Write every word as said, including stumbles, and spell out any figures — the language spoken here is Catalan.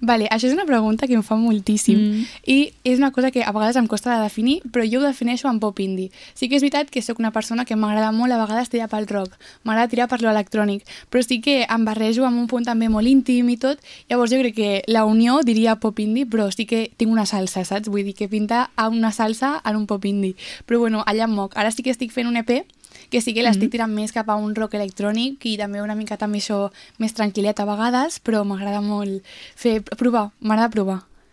Vale, això és una pregunta que em fa moltíssim mm. i és una cosa que a vegades em costa de definir, però jo ho defineixo en pop indie. Sí que és veritat que sóc una persona que m'agrada molt a vegades tirar pel rock, m'agrada tirar per lo electrònic, però sí que em barrejo amb un punt també molt íntim i tot, llavors jo crec que la unió diria pop indie, però sí que tinc una salsa, saps? Vull dir que pinta a una salsa en un pop indie. Però bueno, allà em moc. Ara sí que estic fent un E P que sí que l'estic tirant més cap a un rock electrònic i també una mica també això més tranquil·let a vegades, però m'agrada molt fer, provar, m'agrada provar.